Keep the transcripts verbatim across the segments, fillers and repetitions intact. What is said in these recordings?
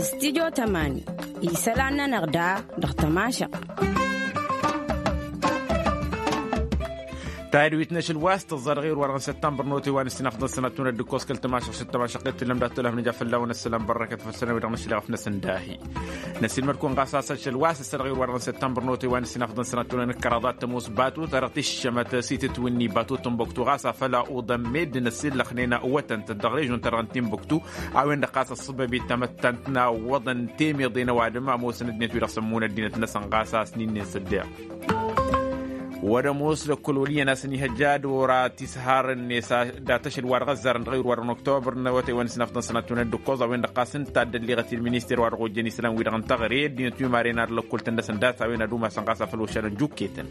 Studio tămani isălan-nănăɣ da dăɣ-tămašăɣt. Tayǝdwit n-ašăl wa s-tǝẓẓa dăɣ-iwǝr wa dăɣ-n săttămbăr n-otay wa n-ǝssin afḍăn sănatun ad-dd-ǝkkoẓ kăl-tămašăɣt s-tămašăɣt i-tǝllăm dat-tălăf nǝja fălla-wăn ăssălam bărrăkăt făll-sănăwi dăɣ-nǝšlăɣăf-năsăn dahi. Năsiilmăd-kăwăn ɣas a-s ašăl wa s-ăssădăɣ iwǝr wa dăɣ-n săttămbăr n-otay wa n-ǝssin afḍăn sănatun n-ǝkkăraḍ ad-tămoos batu ta dăɣ-tiššămăt s-itǝtwǝnni batu tănbăktu ɣas afăl a uḍăn meddǝn ăssiillăxnen wătăn-tăt dăɣ-režon-ta-dăɣ n-tinbăktu. A-wen-dăɣ ɣas ăṣṣăbăb i-tamăttant n-a ǝwwăḍăn temyăḍe n-ăwadǝm ămoosăn ăddinăt-wi-dăɣ sămmun ăddinăt-năsăn ɣas a-s n-inn'-en s-ăddeɣ. Wăr-ămoos lăkkol wăl' iyyăn a-s ănihăjja ad-ora tisharăn-net dat-ašăl wa dăɣ-ăzzarăn dăɣ-iwǝr wa dăɣ-n oktobăr n-awătay wa n-ǝssin afḍăn sănatun d-ǝkkoẓ a-wen-dăɣ ɣas ǝnta a dd-ălliɣăt i-ălminister wa dăɣ-ojjăn isălan-wi-dăɣ n-teɣăre ăddinăt wi maren ad-lăkkol-tăn-dăsăn dat a-wen ad-umasăn ɣas afăl ošalăn juketăn.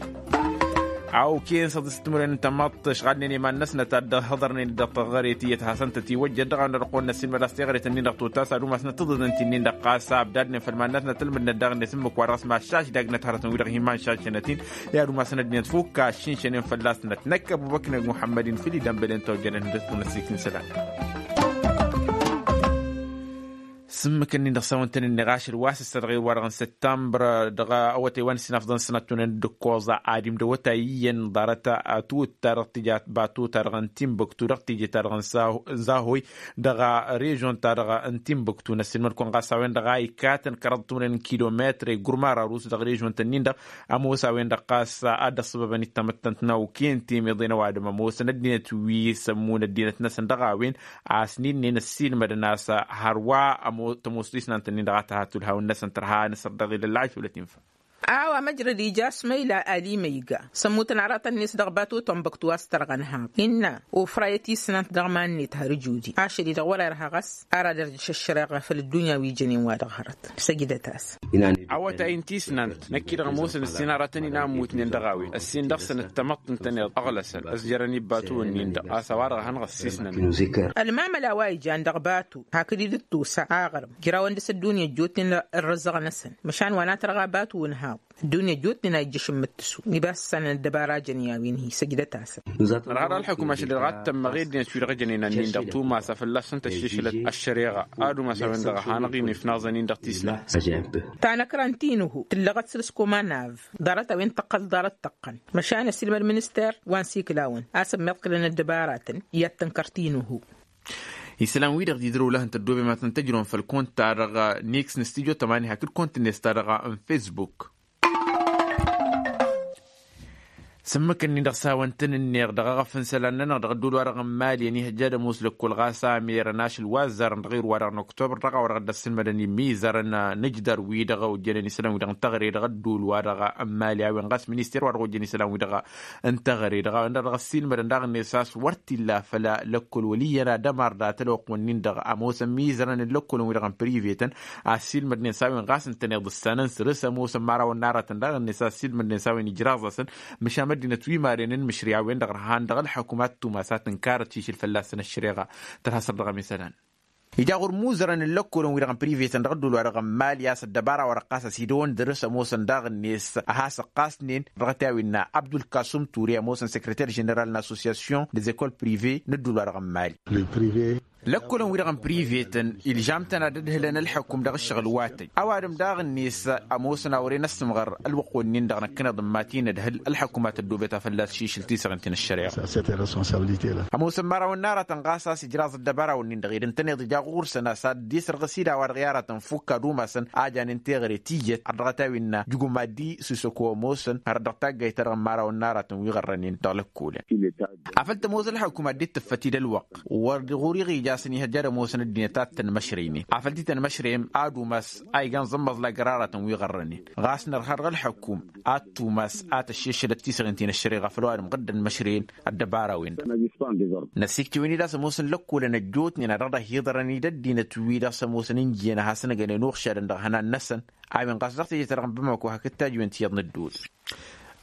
A okăyăn s-ad-ǝstǝmrăyăn n-tamăḍt ăšɣalnen i-iman-năsnăt ad-dd-hăḍărnen dăɣ-teɣăre tiyyăt hasăn-tăt-iwăjjăd dăɣ-a-wen ad-ăqqoyăn năssiilmăd a-s teɣăre-tăn-in-dăɣ totas ad-umasnăt ǝḍǝḍăn ti-nin-dăɣ ɣas abdadnen făll-iman-năsnăt ǝlmǝdnăt daɣ-net ǝmmǝk wa dăɣ-s mašaš daggnăt hărătăn-wi-dăɣ hin-imanšašănăt-in. I-ad-umasăn ăddinăt fukk a ăššinšănen fălla-snăt năkk ăbubăknăg muḥămmăd-in făll-idănbălen tojjănen hundăt-kăwăn ăssiiktǝn isălan. S-ǝmmǝk-nin-dăɣ s-a-wăn tăn-ǝnneɣ ašăl wa s-ăssădăɣ iwǝr wa dăɣ-n săttămbăr dăɣ-awătay wa n-ǝssin afḍăn sănattunen d-ǝkkoẓa ad-imdăwăt a iyyăn ḍarăt ătwǝt ta dăɣ-tǝnbăktu dăɣ-teje ta dăɣ-n zahoy dăɣ-režon ta dăɣ-tǝnbăktu n-ăssiilmăd-kăwăn ɣas a-wen-dăɣ a ikatăn kăraḍ ătwǝnăn n-kilometre gurma rarus dăɣ-režon-tăn-in-dăɣ. Ămoos a-wen-dăɣ ɣas ad-ăṣṣăbăbăn i-tamăttant n-awkăyăn temeḍe n-ăwadǝm ămoosăn ăddinăt wi s-ămmun ăddinăt-năsăn dăɣ-a-wen a-s n-inn'-en ăssiilmădăn a-s hărwa tămoos tisnant-nin-dăɣ a tăha tulhawăn-năsăn tărha anăsăr dăɣ-ilăl lăɣaš wăla tinfa. A-wa măjrăd ija s-măyla ali măyga s-ămmutăn aratăn-net dăɣ-batu tănbăktu a-s tărɣăn haḍ innă ofrayăt isnant dăɣ-iman-net har ǝjudi ašăl-i-dăɣ wăr-irha ɣas ar ad-irjăš ăššăreɣa făll-ăddunya wi jănen wa dăɣ-hărăt. Săjdăt-as. Awătay n-tisnant năkk-i-dăɣ ămoosăn ǝssin aratăn-in a ămmutnen dăɣ-a-wen ǝssin dăɣ-săn d-tamăḍt ǝntăneḍ ăɣlăsăn ăzjărăn ibbatuwăn-nin-dăɣ a-s a-wa dăɣ-ehăn ɣăssisnăn. Ălmamăla wa ijan dăɣ-batu hakd-dd-tusa aɣrǝm jrawăn dăɣ-s ăddunya ăjjootnen ărrăzăɣ-năsăn măšan wa n-ad-tărɣa batu n-haḍ. Ăddunya ăjjootnen a ijjăš n-imǝttǝsu iba s-sănăn ăddăbara jăn i-a-wen-hi săjdăt-asăn. Ărha dăɣ-ălḥukum ašăl-i-dăɣ a t-tămmăɣ i-ăddinăt wi-dăɣ ǝjănen ănnin-dăɣ tumas a fălla-săn tăššišǝlăt ăššăreɣa ad-umas a-wen-dăɣ a hanăɣ-in-ifnaẓăn-in-dăɣ tisna. Tanăkra n-tinuhu tǝllăɣăt săr-s komanav ḍarăt a-wen tăqqăl ḍarăt tăqqăn măšan ăsilmăd minister wa n-sikǝlawăn a-s ămmiḍkǝlăn ăddăbaratăn i-ad-tǝnkăr tinuhu. Isălan-wi-dăɣ d-idrăw lăhăn tăddoobem ad-tăn-tăjrăwăn făll-kont-ta-dăɣ niks n-studio tămani hakd kont-net ta-dăɣ n-facebook. S-ǝmmǝk-nin-dăɣ s-a-wăn tăn-ǝnneɣ dăɣ-eɣăf n-isălan-nănăɣ dăɣ-ădduul-wa-dăɣ n-mali ănihăjja ad-ămoos lăkkol ɣas a merăn ašăl wa ăzzarăn dăɣ-iru-wa-dăɣ n-oktobăr dăɣ-a-wa dăɣ-dd-ăssilmădăn imizărăn n-ajdăr-wi-dăɣ ojjănen isălan-wi-dăɣ n-teɣăre dăɣ-ădduul-wa-dăɣ n-mali a-wen ɣas minister-wa-dăɣ ojjăn isălan-wi-dăɣ n-teɣăre dăɣ-a-wen-dăɣ dăɣ-ăssilmădăn daɣ-net a-s wăr t-illa făll-lăkkol wăl' iyyăn ad-ămar dat-ălwăqq-wǝnnin-dăɣ ămoosăn mizărăn n-lăkkolăn-wi-dăɣ n-privetăn a ăssiilmădnen s-a-wen ɣas ǝntăneḍ ǝssanăn săr-s ămoosăn imărawăn n-aratăn daɣ-net a ăssiilmădnen s-a-wen ijraẓ-asăn. Măšan măddinăt wi maren n-imǝšri a-wen-dăɣ ărhan dăɣ-ălḥăkum ad-tumas ad-tǝnkarăt šišǝl fălla-săn ăššăreɣa. Tărha săr dăɣ-ămisălan ija ɣur-imuzărăn n-lăkkolăn-wi-dăɣ n-privetăn dăɣ-ădduul-wa-dăɣ n-mali a-s ăddăbara-wa-dăɣ ɣas ăsidăwăn dăr-s ămoosăn daɣ-net a has-ăqqasnen dăɣ-t a-wen innă abdulkasum ture ămoosăn sekreter ženeral n-associasyon dez-ekol prive n-ădduul-wa-dăɣ n-mali. Lăkkolăn-wi-dăɣ n-privetăn iljam-tăn ad-ădhǝlăn ălḥăkum dăɣ-ǝššăɣǝl wa tăjj ăwadǝm daɣ-net ămoosăn a wăren ăssǝmɣăr ălwăqq-wǝnnin-dăɣ năkkăneḍ n-imatin ădhǝl ălḥăkum a tăddoobet a fălla-s šišǝl tisăɣint n-ăššăreɣa. Ămoosăn imărawăn n-aratăn ɣas a-s ijraẓ ăddăbara-wǝnnin-dăɣ ed ǝntăneḍ ija ɣur-săn a-s ad-dd-isărɣǝs-dd a-wa-dăɣ i-aratăn fukk ad-umasăn a janen teɣăre tiyyăt har dăɣ-t a-wi innă jugum ad-dd-susăko ămoosăn har dăɣ-taggayt-ta-dăɣ n-imărawăn n-aratăn wi ɣărrănen dăɣ-lăkkolăn. Afăl tămoos ălḥăkum ad-dd-tǝffăt-dd ălwăqq wăr ɣur-iɣija a-s ănihăjja ad-ămoosăn ăddinăt ad-tăn-măšrăynen afăl tităn-măšrăyăm ad-umas a igan zămmăẓlag ăraratăn wi ɣărrănen ɣas nărha dăɣ-ălḥăkum ad-tumas ad-tăššešălăt tisăɣin ti n-ăššăreɣa făll-ăwadǝm ɣǝddăn măšrăyăn. Ăddăbara-wen-dăɣ năssiktǝwen-dd a-s ămoosăn lăkkolăn ăjjootnen a dăɣ-dăɣ hi-iḍărăn-dd ăddinăt-wi-dăɣ s-ămoosăn ǝnjǝyăn ad-hasăn-ăgănen uɣšadăn dăɣ-ihănan-năsăn. A-wen ɣas dăɣ-teje-ta-dăɣ n-bamako hakd tajǝwen tiyyăḍ n-ădduul.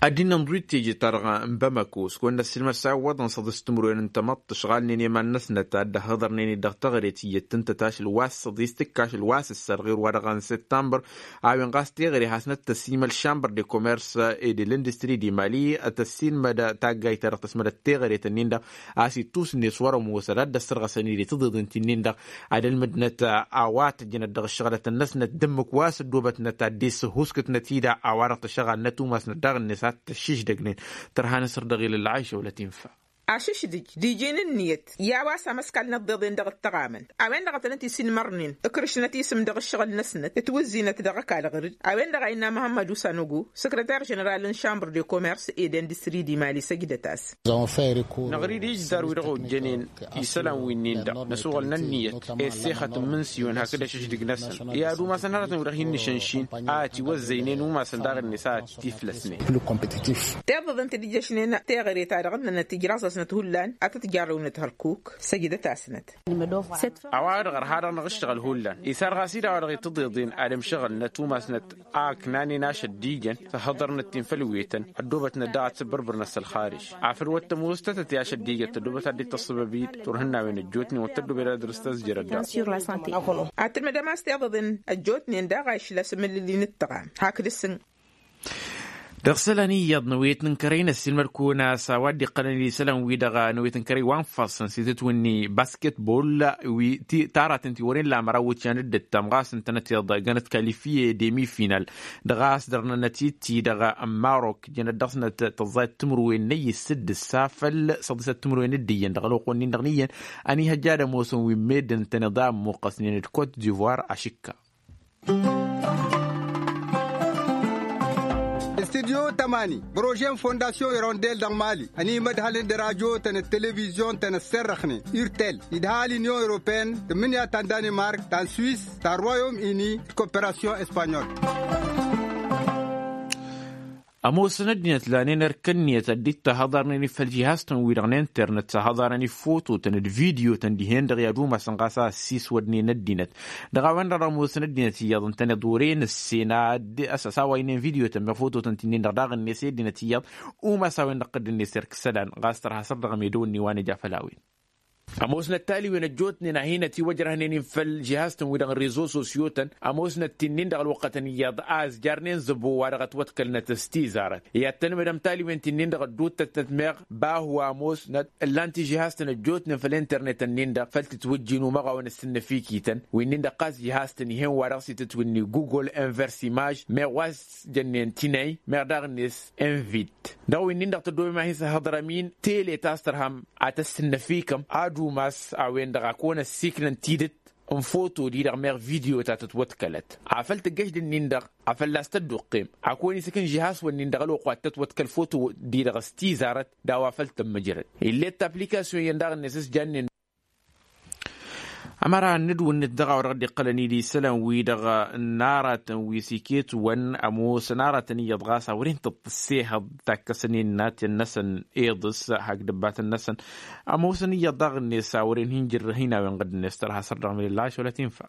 Ad-dd-innănḍǝw d-teje-ta-dăɣ n-bamako s-kăwăn-năssiilmăd s-a iwwăḍăn săḍis timǝrwen n-tamăḍt tǝšɣalnen i-iman-năsnăt ad-dd-ăhhăḍărnen-dd dăɣ-teɣăre tiyyăt tǝntăt ašăl wa s-săḍis tǝkk ašăl wa s-ǝssărɣir wa-dăɣ n-săttămbăr. A-wen ɣas teɣăre hasnăt tăsimăl šambăr de komers e de lăndistri di mali tăsimăd taggayt-ta-dăɣ tăsmădăt teɣăre-tăn-in-dăɣ a-s ittusǝnne s-wăr-ămoosăd ad-dd-ăssărɣăsăn-dd i-tiḍeḍen ti-nin-dăɣ. Ad-ălmǝdnăt a-wa tǝjjănăt dăɣ-ǝššăɣlătăn-năsnăt d-ǝmmǝk wa s-ăddoobătnăt ad-dd-issǝhuskǝtnăt-i-dăɣ a-wa-dăɣ tăšăɣalnăt umasnăt daɣ-net ad-t-ăššiždăgnen. Tărha n-asăr dăɣ-ilăl lăɣayša wăla tinfa. Ašǝšdǝj d-iji n-ǝnniyăt i-a-wa s-amăskal n-ăḍḍeḍen dăɣ-ǝttăɣamăn a-wen-dăɣ a tănăt-isinmărnen ǝkrǝšnăt isǝm dăɣ-ǝššăɣǝl-năsnăt ǝtwǝzzinăt dăɣ-ăkall ɣǝr-dd. A-wen-dăɣ a innă muhămmăd usanogo săkrăter ženeral n-šambăr de komers ed industri di mali săjdăt-as. Năɣrid ijzar wi-dăɣ ojjănen isălan winnin-dăɣ năsuɣǝl n-ǝnniyăt issexăt n-imǝnsiwen hakd ašǝšdǝg-năsăn i-ad-umasăn hărătăn wi-dăɣ hin-nǝšănšin a ătiwăzzăynen umasăn daɣ-net a ătiflăsnen. Tiḍeḍen ti dd-ijjăšnen teɣăre-ta-dăɣ ǝnnănăt ijraẓ-asnăt hullan ad-tăt-jarrăwnăt hărkuk săjdăt-asnăt. A-wa-dăɣ ărha-dăɣ năɣ ǝššăɣǝl hullan isar ɣas-i-dăɣ a-wa-dăɣ itǝḍeḍen ad-ǝmšăɣǝlnăt umasnăt a ǝknanen ašăl d-ijăn tăhhăḍărnăt-in făll-wetăn ăddoobătnăt daɣ ad-sǝbbărbărnăt s-ălxarǝj. Afăl wăr tămoos tătăt i-ašăl d-ijăn tăddoobăt ad-dd-tăṣṣăbăb-dd turhǝnnawen ăjjootnen wăr tăddoobăd ad-dăr-s tăzjărăt daɣ. Ad-tǝlmǝdăm a-s tiḍăḍen ăjjootnen daɣ a išla s-amǝllǝli n-ǝttăɣam hakd ǝssǝn. Dăɣ-isălan iyyăḍ n-awet n-kărăy n-ăssiilmăd-kăwăn a-s a-wa dd-iqqălăn isălan-wi-dăɣ n-awet n-kărăy wa n-ifassăn s-itǝtwǝnni basketbol wi ti taratăn ti wăren lamăra wǝtyan dd-ǝttam ɣas ǝntănăt iḍa gănăt kalifiye demi final. Dăɣ-a-s dărnănăt-dd-ti-dăɣ n-marok jănăt dăɣ-snăt tăẓẓayăt timǝrwen n-ăyy s-dd-ǝssa făll-săḍisăt timǝrwen d-iyyăn dăɣ-ălwăqq-wen-in-dăɣ n-iyyăn. Ăniihăjja ad-ămoosăn wi n-meddǝn ǝntăneḍ a ămmuqqăsnen d-kot divoir ašǝkka. Studyo tămani prože n-fondasyon irondel dăɣ-mali ănimădhălăn d-radyo-tăn d-televizyon-tăn ăsserrăxnen urtel idha l-inyon europene tǝmmǝnǝya ta n-danimark ta n-swis ta n-royom ini d-koperasyon espanyol. Ămoosăn ăddinăt lanen erk ǝnniyăt ad-dd-tahăḍarnen făll-jihaz-tăn-wi-dăɣ n-internet s-ahăḍarăn ifototăn d-video-tăn dihen-dăɣ i-ad-umasăn ɣas a ăssiiswădnen ăddinăt. Dăɣ-a-wen-dăɣ dăɣ-ămoosăn ăddinăt iyyăḍ ǝntăneḍ wăren ǝssen ad-ăsăsawaynen video-tăn meɣ fototăn ti-nin-dăɣ daɣ-net i-ăddinăt iyyăḍ. Umas a-wen-dăɣ tădd-net erk isălan ɣas tărha săr dăɣ-medăwăn n-iwan ija făll-a-wen. Ămoosnăt taliwen ăjjootnen a hin-ătiwăjrăhnen-in făll-jihaz-tăn-wi-dăɣ n-rezo sosyo-tăn. Ămoosnăt ti-nin-dăɣ ălwăqqătăn iyyăḍ a ǝzjarnen zăbo wa dăɣ-ătwăḍkălnăt s-tizarăt i-ad-tăn-mădăm taliwen ti-nin-dăɣ ădduuttătnăt meɣ bahu ămoosnăt ǝllan-t i-jihaz-tăn ăjjootnen făll-internet-nin-dăɣ făll-tǝtwǝjjin umăɣawăn ăssǝnnăfikităn wi-nin-dăɣ ɣas jihaz-tăn ih'-en wa dăɣ-s itǝtwǝnni google inverse imaj meɣ wa s-jănnen tinăy meɣ daɣ-net invit. Dăɣ-wi-nin-dăɣ tăddomem a hin-săhhăḍrăm-in tele ta s-tărhăm ad-tăssǝnnăfikăm ad-umas a-wen-dăɣ a kăwăn-ăssiiknăn tidǝt n-foto-di-dăɣ meɣ video ta tătwăḍkălăt afăl tǝggăš d-ǝnnin-dăɣ afăl a-s tădduqqem a kăwăn-isǝkǝn žihas-wǝnnin dăɣ-ălwăqq wa t-tătwăḍkăl foto-di-dăɣ s-tizarăt d-a-wa făl tămmǝjrăd. Ill'-e d-taplikasyon-iyyăn daɣ-net s-jannen. Ămăra n-nǝdwǝnnǝt dăɣ-a-wa dăɣ-dd-iqqălăn-dd isălan-wi-dăɣ n-aratăn wi s-iket-wăn ămoosăn aratăn iyyăḍ ɣas a wăren tǝṭṭǝssehăḍ takkăsăn innatăn-năsăn iḍǝs hakd ǝbbatăn-năsăn. Ămoosăn iyyăḍ daɣ-net s-a wăren hin-jǝrrǝh inawen ɣǝdd-net tărha săr dăɣ-milǝllaɣ ašăl a tinfa.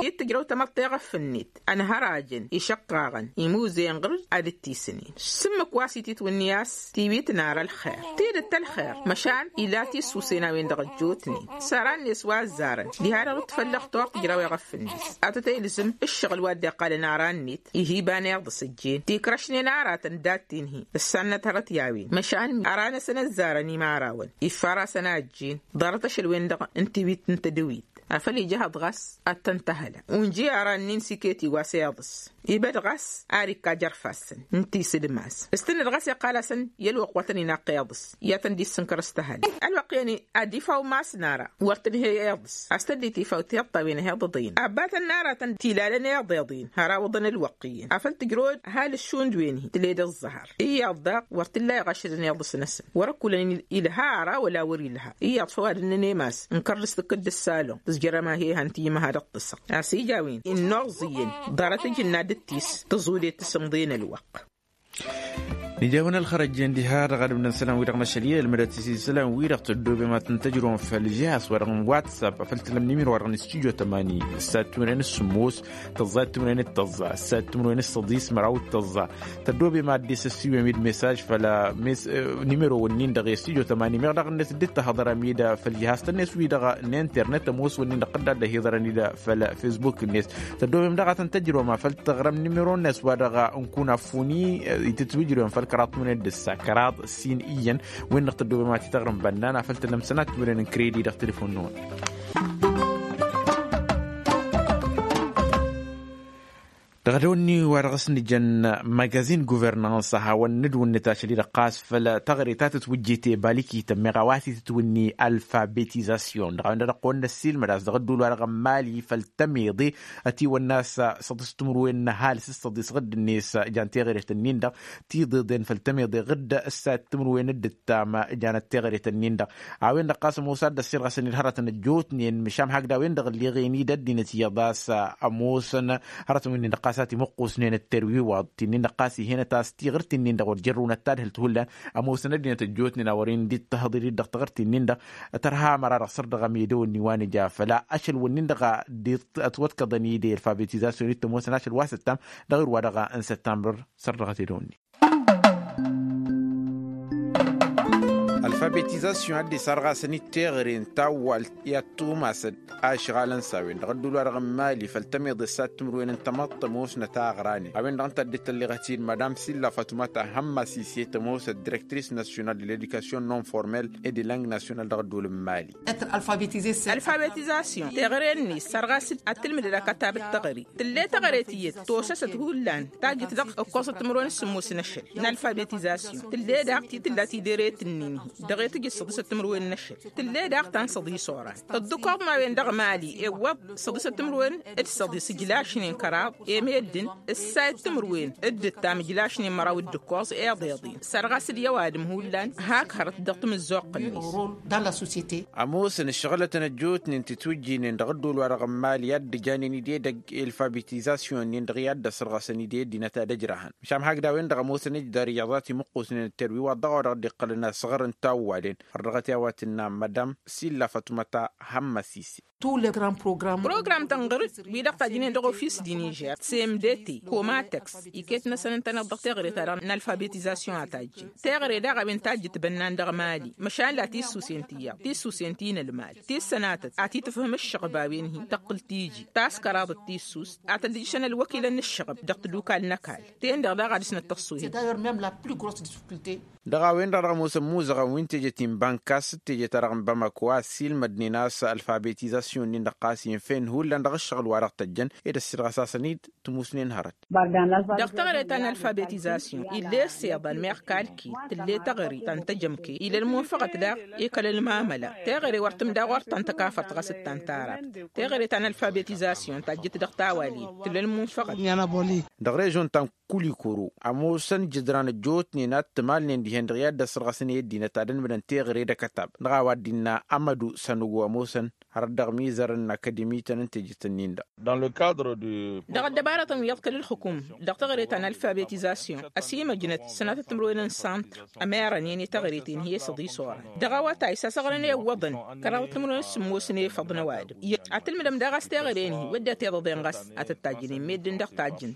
I-tǝjrăw tamăḍt iɣăf-net ănhărajăn išăqqaɣăn imuzen ɣǝr-dd ad-dd-tisǝnen s-ǝmmǝk wa s-ititwǝnni a-s tiwit n-ara ălxer tidǝt ălxer măšan ila tisusen a-wen-dăɣ ăjjootnen s-aran-net wa ăzzarăn diha-dăɣ d-tfăllăɣ toɣ tǝjraw iɣăf-net. Ad-tăt-ilzǝm ǝššăɣǝl wa dd-iqqalăn aran-net ihi iban iḍǝs ăjjeen tikrăšnen aratăn dat-tin-hi ǝssannăt hărăt i-a-wen măšan ara-năsăn ăzzarăn imărawăn iffar-asăn a ăjjeen ḍarăt ašăl-wen-dăɣ n-tiwit n-tedăwit. Afăl ija ehăḍ ɣas ad-tăn-tăhăla unji ara-nin s-iket iwas iḍǝs ibăd ɣas ar ikka jer-ifassăn n-tisǝdmas s-tǝnnăd ɣas iqqal-asăn i-ălwăqq wa tăn-inaqq iḍǝs i-ad-tăn-dd-issǝnkăr s-tăhăla. Ălwăqq-i-ănn ad-ifaw mass n-ara wăr tǝnhăy iḍǝs a-s tăddit ifaw tiḍt a-wen ăhiḍăḍ-in ăbbatăn n-aratăn tilalăn iḍeḍ-in har awǝḍăn ălwăqq-iyyăn afăl tǝjrăwăd ăhalǝššund wen-hi tǝled ǝẓẓăhăr iyyăḍ daɣ wăr t-illa iɣašădăn iḍǝs-năsăn wăr-ăkkulăn ilha ara wăla wăr-ilha. Iyyăḍ făw ad-ǝnnăn i-mass n-kărdǝs tǝkkǝd d-ǝssalon tǝzjărăm a he-ehăn tijǝmha dăɣ-tǝsɣ a-s ija a-wen innuẓ iyyăn ḍarăt ǝjǝnna d-tis tǝẓude tǝsǝmḍe n-ălwăqq. Nǝja a-wen ălxărăjjen diha-dăɣ ad-ǝbnăn isălan-wi-dăɣ n-ašăl i-ălmădăt s-isălan-wi-dăɣ tăddoobem ad-tăn-tăjrăwăm făll-žihas-wa-dăɣ n-whatsapp a făl tǝlăm nimiro-wa-dăɣ n-stujo tămani s-ad-timǝrwen s-sǝmmos tăẓẓa timǝrwen d-tăẓẓa s-ad-timǝrwen s-săḍis măraw d-tăẓẓa. Tăddoobem ad-dd-isăssiwem-dd mesaj făll-nimiro-wǝnnin-dăɣ i-stujo tămani meɣ daɣ-net dd-tahăḍărăm-dd făll-žihas-net wi-dăɣ n-internet ămoos-wǝnnin-dăɣ tădda dd-ăhiḍărăn-dd făll-fesbuk-net. Tăddoobem daɣ ad-tăn-tăjrăwăm a făl tăɣrăm nimiro-net wa dăɣ-n kunafuni itǝtwǝjrăwăm făll-kăraḍ timǝrwen d-ǝssa kăraḍ ǝssin iyyăn. Wen-dăɣ tăddoobem ad-t-tăɣrǝm bănnan a făl tănăm sănat timǝrwen n-kredi dăɣ-telefon-năwăn. Dăɣ-dăwănni wa dăɣ-s nǝjăn magazin guvernans a hawăn-nǝdwǝnnǝt ašăl-i-dăɣ ɣas făll-taɣre ta tǝtwǝjjet i-balikităn meɣ a-wa s-itǝtwǝnni alfabetizasyon dăɣ-a-wen-dăɣ dăɣ-kăwăn-năssiilmăd a-s dăɣ-ădduul wa dăɣ-ămmali făll-tămeḍe. Ătiwănna a-s săḍis timǝrwen n-ăhalǝs s-săḍis ɣǝdd-net. Jan teɣăret-ǝnnin-dăɣ tiḍeḍen făll-tămeḍe ɣǝdd s-ad-timǝrwen d-ǝttam. Janăt teɣăret-ǝnnin-dăɣ a-wen-dăɣ ɣas ămoos ad-dd-ăssirɣăsăn-dd hărătăn ăjjootnen măšan hakd a-wen-dăɣ ǝlleɣen-dd ăddinăt iyyăḍ a-s ămoosăn hărătăn wi-nin-dăɣ ɣas a timǝqqusnen d-terwiwaḍ ti-nin-dăɣ ɣas ih'-enăt a-s tiɣǝrt-in-dăɣ wăr jărrǝwnăt tadhǝlt hullan. Ămoosăn ăddinăt ăjjootnen a wăren dd-tahǝḍ-dd dăɣ-taɣǝrt-in-dăɣ tărha măra-dăɣ săr dăɣ-emedăwăn n-iwanǝj afăl ašăl-wǝnnin-dăɣ a dd-ătwăḍkăḍăn-dd i-alfabetizasyon-i t-ămoosăn ašăl wa săttam dăɣ-irwa dăɣ-n săttam. Săr dăɣ-t edăwănni. Alfabetizasyon a dd-isarɣasăn-dd teɣăre n-tawwalt i-ad-tumasăd ašɣalăn s-a-wen-dăɣ ădduul-wa-dăɣ n-mali făll-tămeḍe s-ad-timǝrwen n-tamăḍt ămoosnăt a ăɣranen a-wen-dăɣ ǝnta a dd-tălleɣăt-in madam silla fatuma ta hămma sise tămoosăt direktris nasyonal de ledikasyon non-formel e de lang nasyonal dăɣ-ădduul n-mali. Alfabetizasyon teɣăre-net sărɣas-dd ad-tǝlmǝdăd akătab d-teɣăre tǝll'-e teɣăre tiyyăt tosăsăt hullan tajjǝt dăɣ-ǝkkoẓăt timǝrwen s-sǝmmos n-ašăl n-alfabetizasyon tǝll'-e daɣ ti tǝlla tideret-ǝnnin-hi dăɣ-e tǝjǝt săḍisăt timǝrwen n-ašăl tǝll'-e daɣ ta n-săḍis oran. Ǝḍḍǝkoḍ n-a-wen-dăɣ mali ewwăḍ săḍisăt timǝrwen d-săḍis ǝjlašnen kăraḍ i-meddǝn ǝssayăt timǝrwen d-ǝttam ǝjlašnen măraw d-ǝkkoẓ iḍeḍen sărɣas-dd i-ăwadǝm hullan hak hărăt dăɣ-timǝzzuɣt-net. Ămoosăn ǝššăɣǝlătăn ăjjootnen titwǝjjinen dăɣ-ădduul-wa-dăɣ n-mali i-ad-dd-ǝjanen-dd edăgg i-alfabetizasyon-nin-dăɣ i-ad-dd-ăsrăɣsăn-dd i-ăddinăt ad-ăjrăhăn măšan hakd a-wen-dăɣ ămoosăn ǝjdar iyyăḍ a timǝqqusnen d-terwiwaḍ dăɣ-a-wa dăɣ-dd-iqqălăn asăɣăr n-tawwalen. Ărdăɣăt i-a-wa tǝnna madam silla fatuma ta hămmăsise. Program tănɣăr-dd wi-dăɣ tajjǝnen dăɣ-ofis d-inižer semdete komatăks iket-năsăn ǝntăneḍ dăɣ-teɣăre-ta-dăɣ n-alfabetizasyon a tajjǝn teɣăre daɣ a-wen tajjǝt bănnan dăɣ-mali măšan la tissusen ti iyyăḍ tissusen ti n-ălmal ti ǝssănatăt ad-t-tǝfhǝm ǝššăɣǝb a-wen-hi tăqqǝl tiji ta s-kăraḍăt tissus ad-tăllǝjšăn ălwăkilăn n-ǝššăɣǝb dăɣ-tadukal n-ăkall ten-dăɣ daɣ ad-dăɣ-snăt tăṣṣuhen. Dăɣ-a-wen-dăɣ dăɣ-ămoosăn imuzăɣăn wi n-teje ti n-bankas d-teje-ta-dăɣ n-bamako a ăssiilmădnen a-s alfabetizasyon-nin-dăɣ ɣas infen hullan dăɣ-ǝššăɣǝl wa dăɣ-tăjjăn ed ăssiilɣăs-asăn-dd tǝmusnen hărăt. Dăɣ-teɣăre ta n-alfabetizasyon ill'-e ăssiḍan meɣ kalkil tǝll'-e teɣăre ta n-tejămke ila ălmunfăɣăt daɣ i-kăl-ălmamăla teɣăre wăr tǝmda ɣur-ta n-tăkafărt ɣas d-ta n-tarabt teɣăre ta n-alfabetizasyon tajjǝt dăɣ-tawalen tǝll'-e ălmunfăɣăt. Dăɣ-režon ta n-kulikuru ămoosăn jǝdran ăjjootnen ad-t-ǝmalnen dihen-dăɣ i-ad-dd-ăsrăɣăsăn i-ăddinăt ad-ănmǝdăn teɣăre d-akătab dăɣ-a-wa dd-innă amădu sănăgo ămoosăn hărăt dăɣ-imizărăn n-akademiten n-tejet-nin-dăɣ. Dăɣ-ăddăbarătăn wi iḍkăl ǝlxǝkum dăɣ-teɣăre ta n-alfabetizasyon ăsimăjnăt sănatăt timǝrwen n-santr ămerănen i-teɣăre-ten hi-e săḍis oran dăɣ-awătay s-asăɣrăn iwwăḍăn kăraḍăt timǝrwen s-sǝmmos n-efăḍ n-ăwadǝm. Ad-tǝlmǝdăm daɣ a-s teɣăre-en-hi wădden tiḍăḍen ɣas ad-tăt-tajjǝnen meddǝn dăɣ-tajjǝn.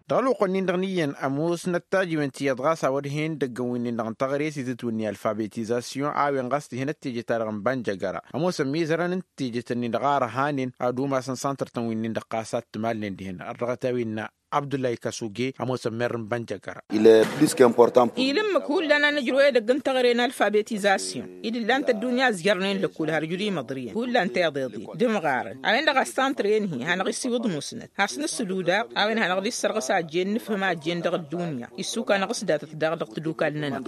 Dăɣ-ălwăqq-nin-dăɣ n-iyyăn ămoosnăt tajiwen ti iyyăḍ ɣas a-wăr hen idăggăn wi-nin-dăɣ n-teɣăre s-itǝtwǝnni alfabetizasyon a-wen ɣas tǝhen ăttejăt-ta-dăɣ n-bănjăgăra ămoosăn mizărăn n-tejăt-nin-dăɣ a ărhanen ad-umasăn santăr-tăn wi-nin-dăɣ ɣas ad-t-ǝmalnen dihen ărdăɣăt a-wen innă abdullahi kăsuge ămoosăn merr n-bănjăgăra. Ilǝmmǝk hullan a nǝjrǝw edăgg n-teɣăre n-alfabetizasyon i-dd-ǝllan-t ăddunya ăzjărnen lăkkul har juri măḍriyăn hullan tiḍeḍen d-imɣarăn a-wen-dăɣ a s-santăr-en-hi hanăɣ-isiwǝḍ musnăt has-nǝssǝlud daɣ a-wen hanăɣ-dd-issărɣǝs a ăjjeen nǝfhǝm a ăjjeen dăɣ-ăddunya issuk-anăɣ s-datăt daɣ dăɣ-tadukal-nănăɣ.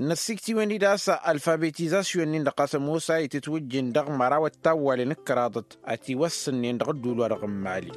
Năssikt'-iwen-dd a-s alfabetizasyon-nin-dăɣ ɣas ămoos a itǝtwǝjjǝn dăɣ-măraw ăttawwalen d-kăraḍăt ătiwăssǝnnen dăɣ-ădduul-wa-dăɣ n-mali.